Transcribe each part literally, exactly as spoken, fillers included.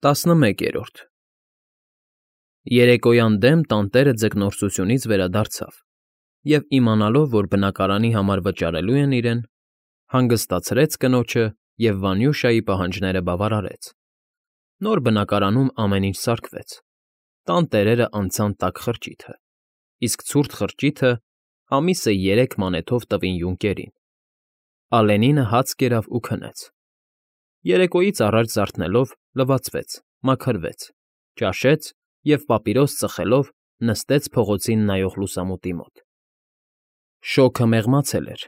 Տասնմեկերորդ Երեկոյան դեմ տանտերը ձկնորսությունից վերադարձավ և, իմանալով, որ բնակարանի համար վճարելու են իրեն, հանգստացրեց կնոջը և Վանյուշայի պահանջները բավարարեց. նոր բնակարանում ամեն ինչ սարքվեց, տան տերերը անցան տաք խրճիթը, իսկ ցուրտ խրճիթը ամիսը երեք մանեթով տվին յունկերին, Ալենինը հաց կերավ ու քնեց, երեկոյից առաջ զարթնելով՝ լվացվեց, մաքրվեց, ճաշեց և պապիրոս ծխելով նստեց փողոցին նայող լուսամուտի մոտ. շոգը մեղմացել էր,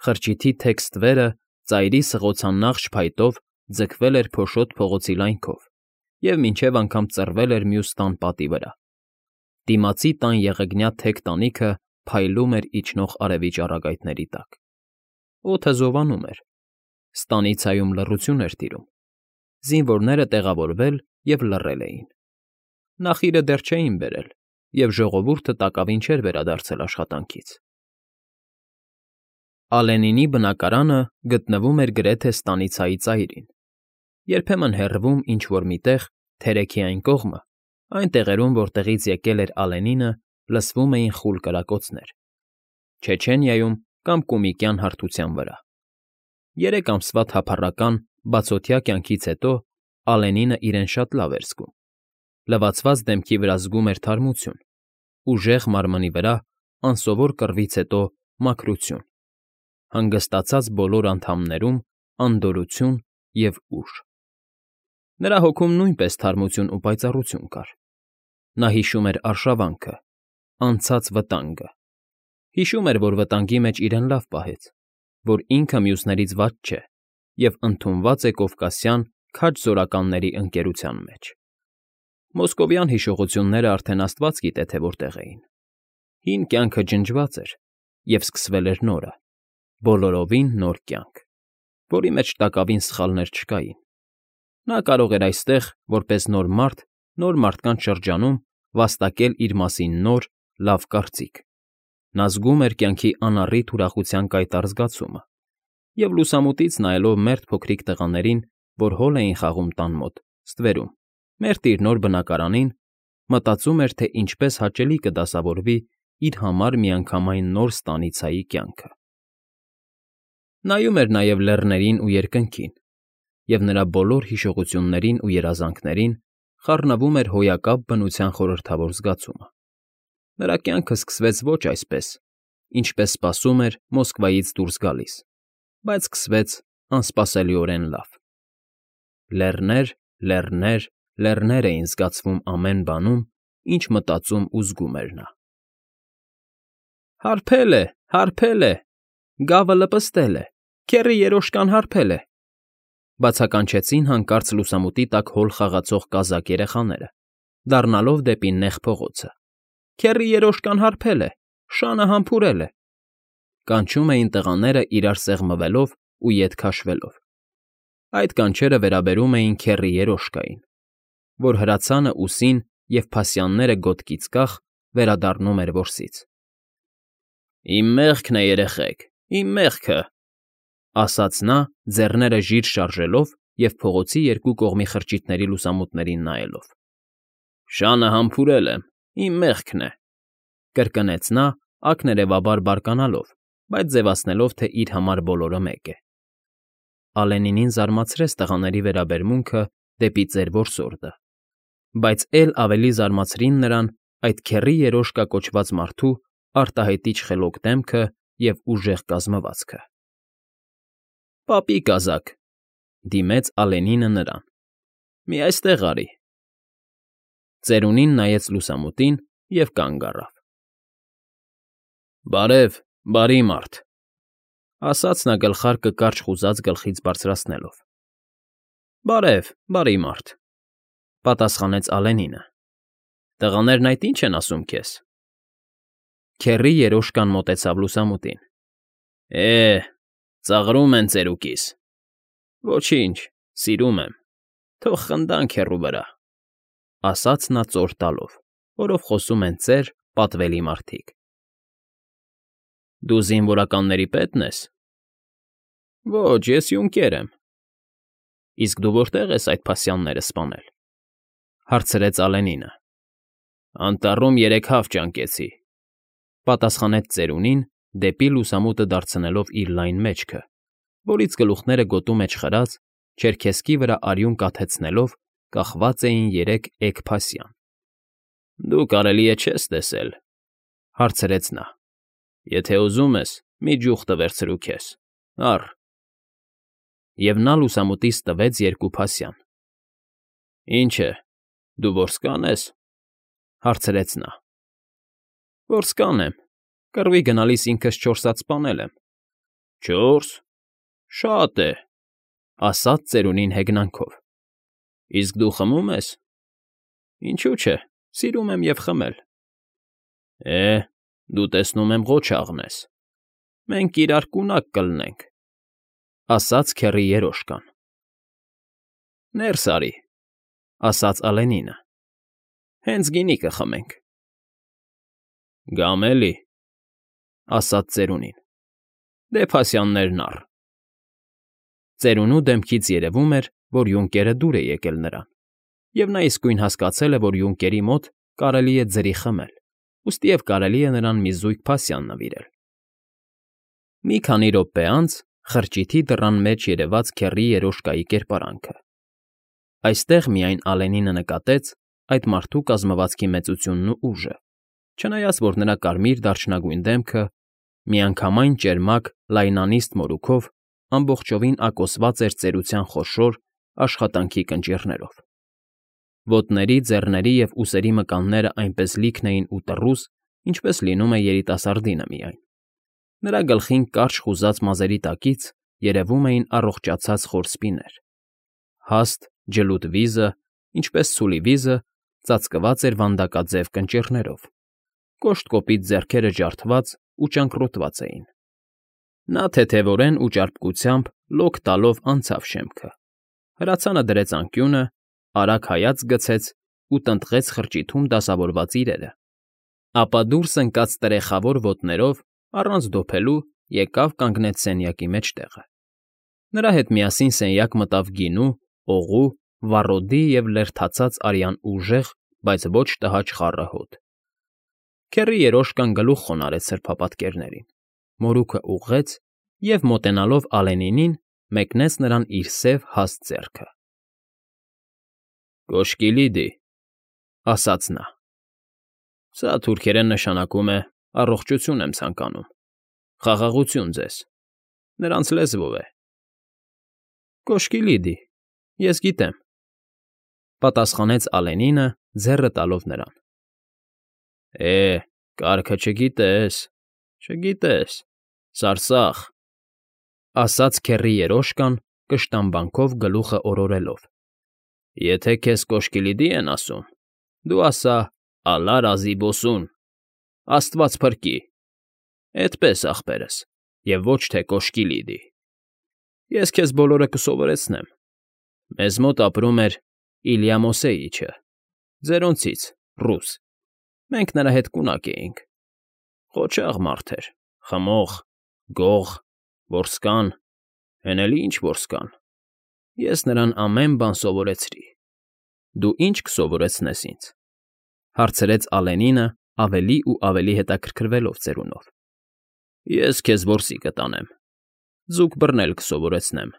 խրճիթի թեք ստվերը ծայրի սղոցանաղ փայտով ձգվել էր փոշոտ փողոցի լայնքով և մինչև անգամ ծռվել էր մյուս տան պատի վրա, դիմացի տան եղեգնյա թեք տանիքը փայլում էր իջնող արևի ճառագայթների տակ, օդը զովանում էր, ստանիցայում լռություն էր տիրում, զինվորները տեղավորվել և լռել էին, նախիրը դեռ չէին բերել և ժողովուրդը տակավին չէր վերադարձել աշխատանքից։ Ալենինի բնակարանը գտնվում էր գրեթե ստանիցայի ծայրին, երբեմն հեռվում ինչ֊որ մի տեղ, թերեքի այն կողմը, այն տեղերում, որտեղից եկել էր Ալենինը, լսվում էին խուլ կրակոցներ, Չեչենիայում կամ Կումիկյան հարթության վրա։ Երեք ամսվա թափառական, բացօթյա կյանքից հետո Ալենինը իրեն շատ լավ էր զգում, լվացված դեմքի վրա զգում էր թարմություն, ուժեղ մարմնի վրա անսովոր կռվից հետո մաքրություն, հանգստացած բոլոր անդամներում անդորրություն և ուժ։ Նրա հոգում նույնպես թարմություն ու պայծառություն կար։ Նա հիշում էր արշավանքը, անցած վտանգը, հիշում էր, որ վտանգի մեջ իրեն լավ պահեց, որ ինքը մյուսներից վատ չէ և ընդունված է կովկասյան քաջ զորականների ընկերության մեջ։ Մոսկովյան հիշողությունները արդեն աստված գիտե, թե որտեղ էին։ Հին կյանքը ջնջված էր, և սկսվել էր նորը, բոլորովին նոր կյանք, որի մեջ տակավին սխալներ չկային։ Նա կարող էր այստեղ, որպես նոր մարդ, նոր մարդկանց շրջանում վաստակել իր մասին նոր, լավ կարծիք։ Նա զգում էր կյանքի անառիթ ուրախության կայտառ զգացումը և, լուսամուտից նայելով մերթ փոքրիկ տղաներին, որ հոլ էին խաղում տան մոտ, ստվերում, մերթ իր նոր բնակարանին, մտածում էր, թե ինչպես հաճելի կդասավորվի իր համար միանգամայն նոր ստանիցայի կյանքը։ Նայում էր նաև լեռներին ու երկնքին, և նրա բոլոր հիշողություններին ու երազանքներին խառնվում էր հոյակապ բնության խորհրդավոր զգացումը։ Նրա կյանքը սկսվեց ոչ այսպես, ինչպես սպասում էր Մոսկվայից դուրս գալիս, բայց սկսվեց անսպասելիորեն լավ։ Լեռներ, լեռներ, լեռներ էին զգացվում ամեն բանում, ինչ մտածում ու զգում էր նա։ Հարբել է, հարբել է, գավը լպստել է, քեռի երոշկան հարբել է, բացականչեցին հանկարծ լուսամուտի տակ հոլ խաղացող կազակ երեխաները, դառնալով դեպի նեղ փողոցը։ Քեռի երոշկան հարբել է, շանը համբուրել է, կանչում էին տղաները իրար սեղմվելով ու ետ քաշվելով։ Այդ կանչերը վերաբերում էին քեռի երոշկային, որ հրացանը ուսին և փասյանները գոտկից կախ վերադառնում էր որսից։ Իմ մեղքն է, երեխեք, իմ մեղքը, ասաց նա, ձեռները ժիր շարժելով և փողոցի երկու կողմի խրճիթների լուսամուտներին նայելով։ Շանը համբուրել եմ, իմ մեղքն է, կրկնեց նա, ակներևաբար բարկանալով, բայց ձևացնելով, թե իր համար բոլորը մեկ է։ Ալենինին զարմացրեց տղաների վերաբերմունքը դեպի ծեր որսորդը, բայց էլ ավելի զարմացրին նրան այդ քեռի երոշկա կոչված մարդու արտահայտիչ խելոք դեմքը և ուժեղ կազմվածքը։ Պապի կազակ, դիմեց Ալենինը նրան, մի այստեղ արի։ Ծերունին նայեց լուսամուտին և կանգ առավ։ Բարև, բարի մարդ, ասաց նա գլխարկը կարճ խուզած գլխից բարձրացնելով։ Բարև, բարի մարդ, պատասխանեց Ալենինը։ Տղաներն այդ ի՞նչ են ասում քեզ։ Քեռի երոշկան մոտեցավ լուսամուտին։ Է, ծաղրում են ծերուկիս։ Ոչինչ, սիրում եմ, թող խնդանք հեռու վրա, ասաց նա ծոր տալով, որով խոսում են ծեր, պատվելի մարդիկ։ Դու զինվորականների պե՞տն ես։ Ոչ, ես յունկեր եմ։ Իսկ դու որտե՞ղ ես այդ փասյանները սպանել,֊ հարցրեց Ալենինը։ Անտառում երեք հավ ճանկեցի,֊ պատասխանեց ծերունին, դեպի լուսամուտը դարձնելով իր լայն մեջքը, որից գլուխները գոտու մեջ խրած, չերքեզքի վրա արյուն կաթեցնելով կախված էին երեք էգ փասյան։ Դու կարելի է չես տեսել,֊ հարցրեց նա։ Եթե ուզում ես, մի ջուխ տվերցրու քեզ, առ։ Եվ նա լուսամուտից տվեց երկու փասյան։ Ինչ է, դու որսկա՞ն ես,֊ հարցրեց նա։ Որսկան եմ, կռվի գնալիս ինքս չորս հատ սպանել եմ։ Չո՞րս, շատ է,֊ ասաց ծերունին հեգնանքով։ Իսկ դու խմում ես։ Ինչու՞ չէ, սիրում եմ և խմել։ Է, դու տեսնում եմ ղոչաղն ես։ Մենք իրար կունակ կլինենք,֊ ասաց քեռի երոշկան։ Ներս արի,֊ ասաց Ալենինը։ Հենց գինի կխմենք։ Գամ էլի,֊ ասաց ծերունին։ Դե փասյաններն առ։ Ծերունու դեմքից երևում էր, որ յունկերը դուր է եկել նրան, և նա իսկույն հասկացել է, որ յունկերի մոտ կարելի է ձրի խմել, ուստիև կարելի է նրան մի զույգ փասյան նվիրել։ Մի քանի րոպե անց խրճիթի դռան մեջ երևաց քեռի երոշկայի կերպարանքը։ Այստեղ միայն Ալենինը նկատեց այդ մարդու կազմվածքի մեծությունն ու ուժը, չնայած որ նրա կարմիր դարչնագույն դեմքը միանգամայն ճերմակ լայնանիստ մորուքով ամբողջովին ակոսված էր ծերության խոշոր աշխատանքի կնճիռներով։ Ոտների, ձեռների և ուսերի մկանները այնպես լիքն էին ու տռուս, ինչպես լինում է երիտասարդինը միայն։ Նրա գլխին կարճ խուզած մազերի տակից երևում էին առողջացած խոր սպիներ։ Հաստ, ջլուտ վիզը, ինչպես ցուլի վիզը, ծածկված էր վանդակաձև կնճիռներով, կոշտ կոպիտ ձեռքերը ջարդված ու ճանկռոտված էին։ Նա թեթևորեն ու ճարպկությամբ լոկ տալով անցավ շեմքը, հրացանը դրեց անկյունը, արագ հայացք գցեց ու տնտղեց խրճիթում դասավորված իրերը, ապա դուրս ընկած տրեխավոր ոտներով, առանց դոփելու, եկավ կանգնեց սենյակի մեջտեղը։ Նրա հետ միասին սենյակ մտավ գինու, օղու, վառոդի և լերդացած արյան ուժեղ, բայց ոչ տհաճ խառը հոտ։ Քեռի երոշկան գլուխ խոնարհեց սրբապատկերներին, մորուքը ուղղեց և, մոտենալով Ալենինին, մեկնեց նրան իր սև հաստ ձեռքը։ Կոշկի լիդի,֊ ասաց նա։ Սա թուրքերեն նշանակում է առողջություն եմ ցանկանում, խաղաղություն ձեզ, նրանց լեզվով է։ Կոշկի լիդի, ես գիտեմ,֊ պատասխանեց Ալենինը, ձեռը տալով նրան։ Է, կարգը չգիտես, չգիտես, սարսափ,֊ ասաց քեռի երոշկան, կշտամբանքով գլուխը օրորելով։ Եթե քեզ կոշկի լիդի են ասում, դու ասա՝ ալա ռազի բոսուն, աստված փրկի, էդպես, ախպերս, և ոչ թե կոշկի լիդի։ Ես քեզ բոլորը կսովորեցնեմ։ Մեզ մոտ ապրում էր Իլյա Մոսեիչը, ձերոնցից, ռուս, մենք նրա հետ կունակ էինք։ Ղոչաղ մարդ էր, խմող, գող, որսկան, հեն էլ ինչ որսկան։ Ես նրան ամեն բան սովորեցրի։ Դու ի՞նչ կսովորեցնես ինձ,֊ հարցրեց Ալենինը ավելի ու ավելի հետաքրքրվելով ծերունով։ Ես քեզ որսի կտանեմ, ձուկ բռնել կսովորեցնեմ,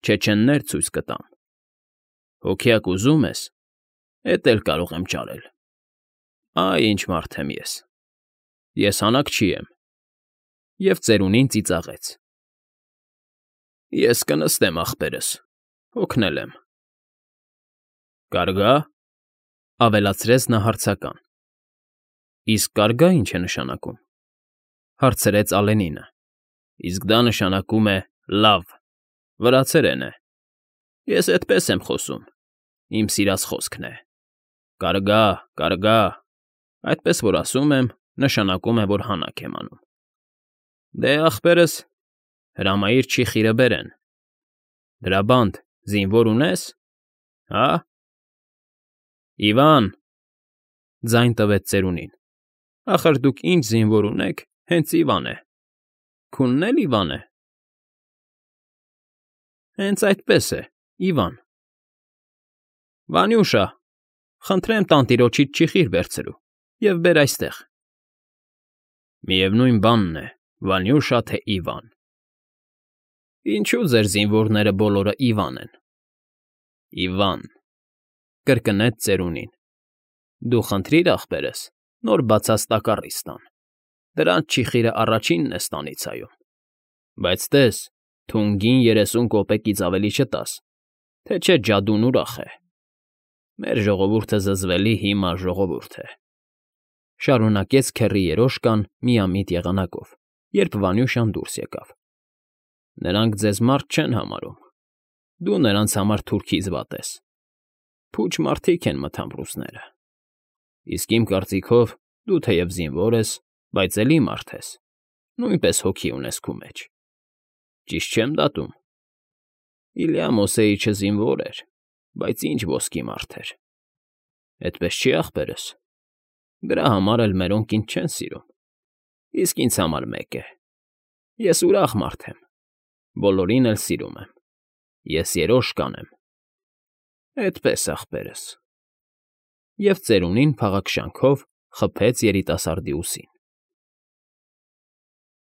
չեչեններ ցույց կտամ։ Հոգյակ ուզում ես, էդ էլ կարող եմ ճարել։ Այ ինչ մարդ եմ ես։ Ես հանաքչի եմ։ Եվ ծերունին ծիծաղեց։ Ես կնստեմ, ախպերս, հոգնել եմ։ Կարգա՞, ավելացրեց նա հարցական։ Իսկ կարգա ինչ է նշանակում,֊ հարցրեց Ալենինը։ Իսկ դա նշանակում է լավ, վրացերեն է։ Ես էդպես եմ խոսում, իմ սիրած խոսքն է։ Կարգա, կարգա, այդպես որ ասում եմ, նշանակում է, որ հանաք եմ անում։ Դե, ախպերս, հրամայիր չի խիրը բերեն։ Դրաբանդ զինվոր ունես, հա՞։ Իվան,֊ ձայն տվեց ծերունին, ախր դուք ինչ զինվոր ունեք, հենց Իվան է։ Քունն էլ Իվան է։ Հենց այդպես է, Իվան։ ֊ Վանյուշա, խնդրեմ տանտիրոջից ճիխիր վերցրու և բեր այստեղ։ ֊ Միևնույն բանն է՝ Վանյուշա, թե Իվան։ ֊ Ինչո՞ւ ձեր զինվորները բոլորը Իվան են։ ֊ Իվան,֊ կրկնեց ծերունին։֊ Դու խնդրիր ախպերս նոր բացած տակառից տան, դրանց ճիխիրը առաջինն է ստանիցայում, բայց տես, թունգին երեսուն կոպեկից ավելի չտաս, թե չէ ջադուն ուրախ է։ Մեր ժողովուրդը զզվելի հիմար ժողովուրդ է,֊ շարունակեց քեռի երոշկան միամիտ եղանակով, երբ Վանյուշան դուրս եկավ։֊ Նրանք ձեզ մարդ չեն համարում, դու նրանց համար թուրքից վատ ես, փուչ մարդիկ են մթամրուձները, իսկ իմ կարծիքով դու թեև զինվոր ես, բայց էլի մարդ ես, նույնպես հոգի ունես քո մեջ, ճիշտ չե՞մ դատում։ Իլյա Մոսեիչը զինվոր էր, բայց ինչ ոսկի մարդ էր։ Էդպես չի՞ ախպերս։ Դրա համար էլ մերոնք ինձ չեն սիրում, իսկ ինձ համար մեկ է. ես ուրախ մարդ եմ, բոլորին էլ սիրում եմ, ես երոշկան եմ։ Էդպես, ախպերս… Եվ ծերունին փաղաքշանքով խփեց երիտասարդի ուսին։